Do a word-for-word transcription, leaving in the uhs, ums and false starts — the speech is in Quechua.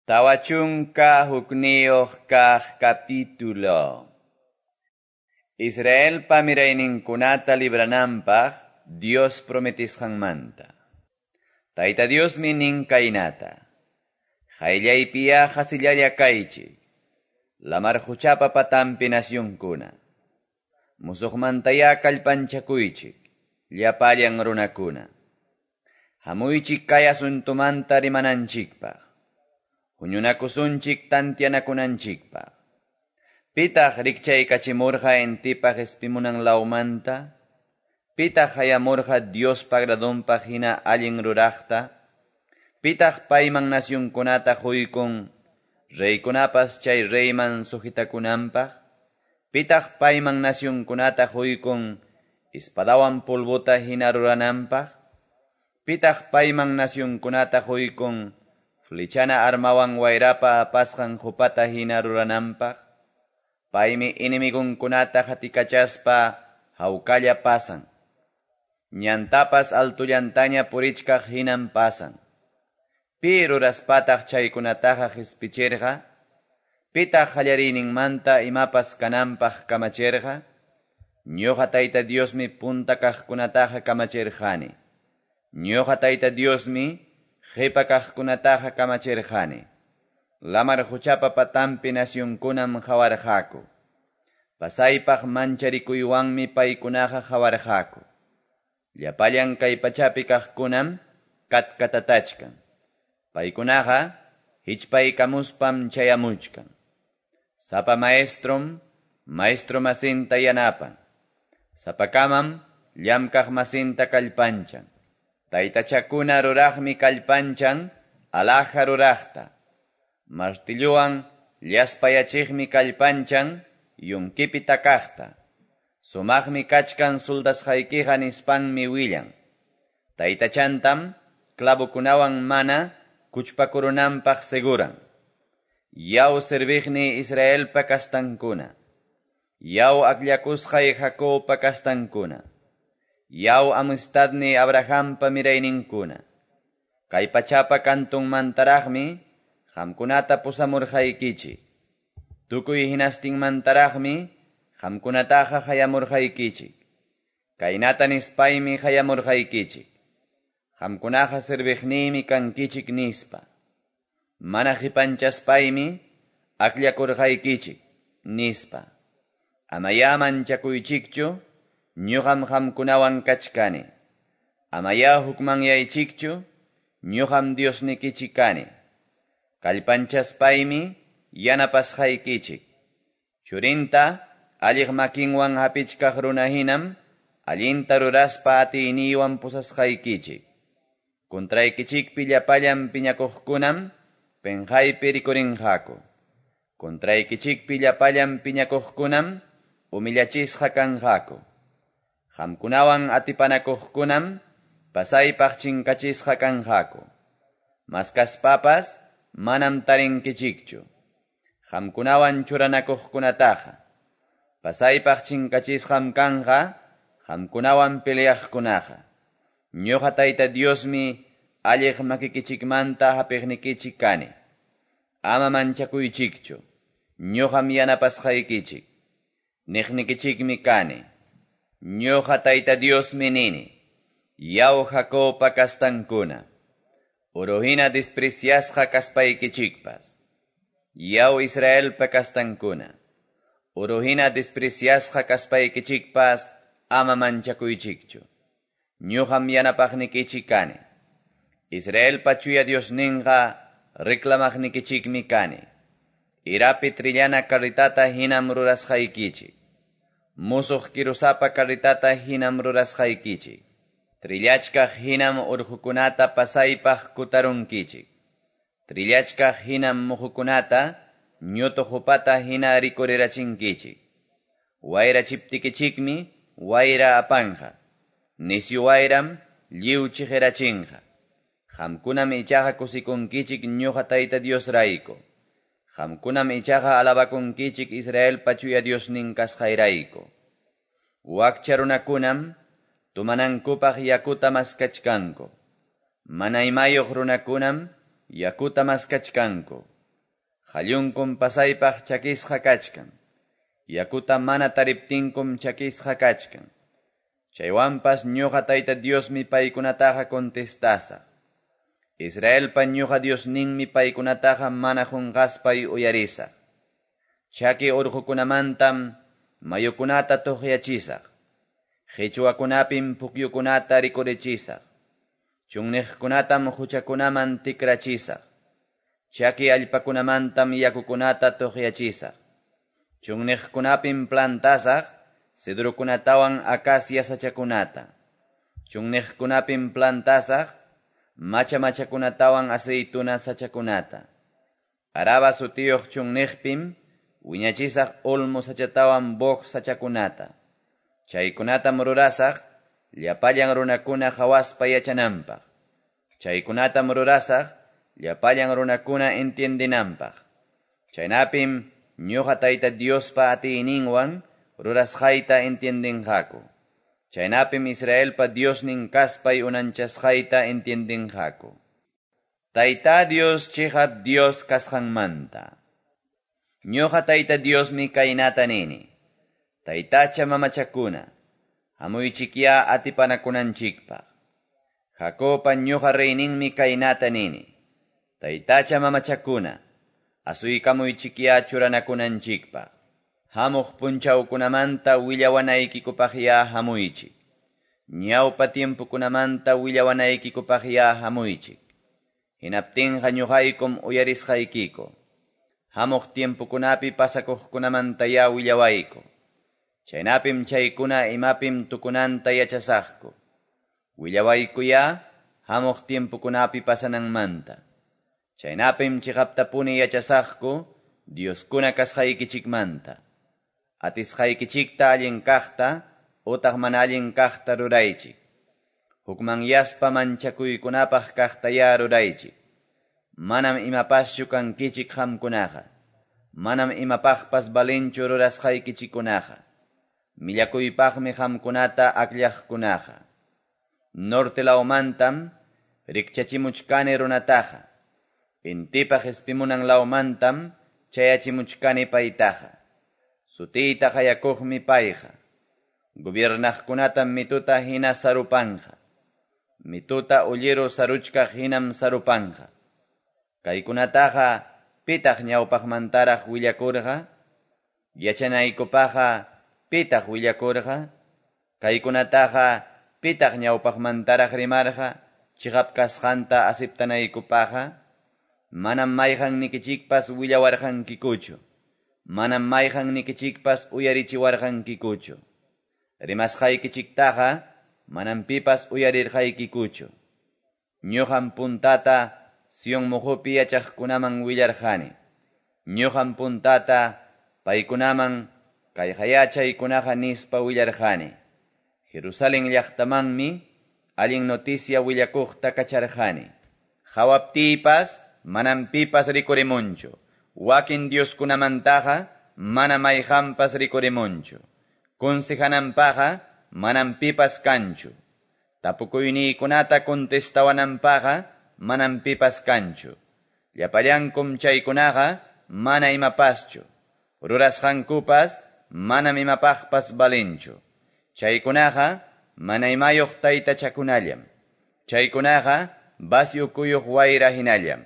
Tawa chunka hukniyuq kaq capítulo. Israelpa mirayninkunata librananpaq Dios prometisqanmanta. Tayta Diosmi nin kaynata. Qayllaypiya qasillalla kaychik. Lamar quchapa patanpi nacionkuna. Musuqmantaya kallpanchakuychik. Llapallan runakuna. Hamuychik kay asuntumanta rimananchikpaq. Huñunakusunchik tantianakunanchikpaq. Pitaq rikchaykachimurqa intipaq qespimunan lawmanta? Pitaq hayamurqa Diospa agradonpaq hina allin ruraqta? Pitaq payman nacionkunata quykun, reykunapas chay reyman sujetakunanpaq? Pitaq payman nacionkunata quykun, espadawan polvota hina rurananpaq? Pitaq payman nacionkunata quykun, flechana armawan wayrapa apasqan qupata hina rurananpaq? Paymi enemigonkunata qatikachaspa hawkalla pasan. Ñantapas altullantaña purichkaq hinan pasan. Pi ruraspataq chaykunataqa qispichirqa? Pitaq qallariyninmanta imapas kananpaq kamachirqa? Ñuqa Tayta Diosmi punta kaqkunataqa kamachirqani. Ñuqa Tayta Diosmi qipa kaqkunataqa kamachirqani. Lamar quchapa patanpi nacionkunam qawarqaku. Pasaypaq mancharikuywanmi paykunaqa qawarqaku. Llapallan kay pachapi kaqkunam katkatatachkan. Paykunaqa hichpaykamuspam chayamuchkan. Sapa maestrom, maestro masinta yanapan. Sapakamam llamkaq masinta kallpanchan. Taytachakuna ruraqmi kallpanchan alhaja ruraqta. Martilluwan llaspayachiqmi kallpanchan yunkipi takaqta. Sumaqmi kachkan soldasqaykiqa nispanmi willan. Taytachantam clavokunawan mana kuchpakurunanpaq seguran. Yaw serviqni Israelpa kastankuna. Yaw akllakusqay Jacobpa kastankuna. Yaw amistadni Abrahampa mirayninkuna. Kay pachapa kantunmantaraqmi qamkunata pusamurqaykichik. Tukuy hinastinmantaraqmi qamkunataqa hayamurqaykichik. Kaynata nispaymi hayamurqaykichik. Qamkunaqa serviqniymi kankichik nispa. Mana qipanchaspaymi akllakurqaykichik nispa. Amaya manchakuychikchu, ñuqam qamkunawan kachkani. Amaya hukmanyaychikchu, ñuqam Diosnikichik kani. Kallpanchaspaymi yanapasqaykichik. Churinta alliq makinwan hapichkaq runa hinam allinta ruraspa atiyniywan pusasqaykichik. Contraykichikpi llapallan piñakuqkunam penqaypi rikurinqaku. Contraykichikpi llapallan piñakuqkunam humillachisqa kanqaku. Qamkunawan atipanakuqkunam pasaypaq chinkachisqa kanqaku. Maskaspapas manam tarinkichikchu. Qamkunawan churanakuqkunataqa pasaypaq chinkachisqam kanqa qamkunawan peleaqkunaqa. Ñuqa Tayta Diosmi alliq makikichikmanta hapiqnikichik kani. Ama manchakuychikchu, ñuqam yanapasqaykichik. Niqnikichikmi kani. Ñuqa Tayta Diosmi nini. Yaw Jacobpa kastankuna. Uruhina despreciasqa kaspaykichikpas. Yaw Israelpa kastankuna. Uruhina despreciasqa kaspaykichikpas ama manchakuychikchu. Ñuqam yanapaqnikichik kani. Israelpa chuya Diosninqa reclamaqnikichikmi kani. Irapi trillana carritata hinam rurasqaykichik. Musuq kirusapa carritata hinam rurasqaykichik. Trillachkaq hinam urqukunata pasaypaq kutarunkichik. Trillachkaq hinam muhukunata ñutu qupata hina rikurirachinkichik. Wayrachiptikichikmi wayra apanqa. Nisyu wayram lliw chiqirachinqa. Qamkunam ichaqa kusikunkichik ñuqa Tayta Diosrayku. Qamkunam ichaqa alabakunkichik Israelpa chuya Diosnin kasqayrayku. Wakcha runakunam tumanankupaq yakuta maskachkanku. Mana imayuq runakunam yakuta maskachkanku. Qallunkum pasaypaq chakisqa kachkan. Yakuta mana tariptinkum chakisqa kachkan. Chaywanpas ñuqa Tayta Diosmi paykunataqa contestasaq. Israelpa ñuqa Diosninmi paykunataqa mana qunqaspay uyarisaq. Chaki urqukunamantam mayukunata tuqyachisaq. Qichwakunapim pukyukunata rikurichisaq. Chunniqkunatam huchakunaman tikrachisaq. Chaki allpakunamantam yakukunata tuqyachisaq. Chunniqkunapim plantasaq cedrokunatawan acacia sachakunata. Chunniqkunapim plantasaq macha machakunatawan aceituna sachakunata. Araba sutiyuq chunniqpim wiñachisaq olmo sachatawan boj sachakunata. Chaykunatam rurasaq llapallan runakuna qhawaspa yachananpaq. Chaykunatam rurasaq llapallan runakuna entiendinanpaq. Chaynapim ñuqa Tayta Diospa atiyninwan rurasqayta entiendinqaku. Chaynapim Israelpa Diosnin kaspay unanchasqayta entiendinqaku. Tayta Dios chiqap Dios kasqanmanta. Ñuqa Tayta Diosmi kaynata nini. Taytacha mamachakuna, hamuychikya atipanakunanchikpaq. Jacobpa ñuqa reyninmi kaynata nini. Taytacha mamachakuna, asuykamuychikya churanakunanchikpaq. Hamuq punchawkunamanta willawanaykikupaqya hamuychik. Ñawpa tiempokunamanta willawanaykikupaqya hamuychik. Hinaptinqa ñuqaykum uyarisqaykiku. Hamuq tiempokunapi pasakuqkunamantaya willawayku. Chaynapim chaykuna imapim tukunanta yachasaqku. Willawaykuya hamuq tiempokunapi pasananmanta. Chaynapim chiqaptapuni yachasaqku Dioskuna kasqaykichikmanta. Atisqaykichikta allin kaqta utaq mana allin kaqta ruraychik. Hukmanyaspa manchakuykunapaq kaqtaya ruraychik. Manam imapaschu kankichik qamkunaqa. Manam imapaqpas valinchu rurasqaykichikkunaqa. Millakuypaqmi qamkunata akllaqkunaqa. Norte lawmantam rikchachimuchkani runataqa. Intipa qespimunan lawmantam chayachimuchkani paytaqa. Sutiyta qayakuqmi payqa. Gobiernaqkunatam mituta hina sarupanqa. Mituta ulliru saruchkaq hinam sarupanqa. Kaykunataqa pitaq ñawpaqmantaraq willakurqa? Yachanaykupaqqa pitaq willakurqa? Kaykunataqa pitaq ñawpaqmantaraq rimarqa chiqap kasqanta aceptanaykupaqqa? Manam mayqannikichikpas willawarqankikuchu. Manam mayqannikichikpas uyarichiwarqankikuchu. Rimasqaykichiktaqa manam pipas uyarirqaykikuchu. Ñuqam puntata Sion muqupi yachaqkunaman willarqani. Ñuqam puntata paykunaman kayqa chaykunaqa nispa willarqani. Jerusalén llaqtamanmi allin noticia willakuqta kacharqani. Qhawaptiypas manam pipas rikurimunchu. Wakin Dioskunamantaqa mana mayqanpas rikurimunchu. Consejananpaqqa manam pipas kanchu. Tapukuyniykunata contestawananpaqqa manam pipas kanchu. Llapallankum chaykunaqa mana imapaschu. Rurasqankupas manam imapaqpas valinchu. Chaykunaqa mana imayuq taytachakunallam. Chaykunaqa vacio kuyuq wayra hinallam.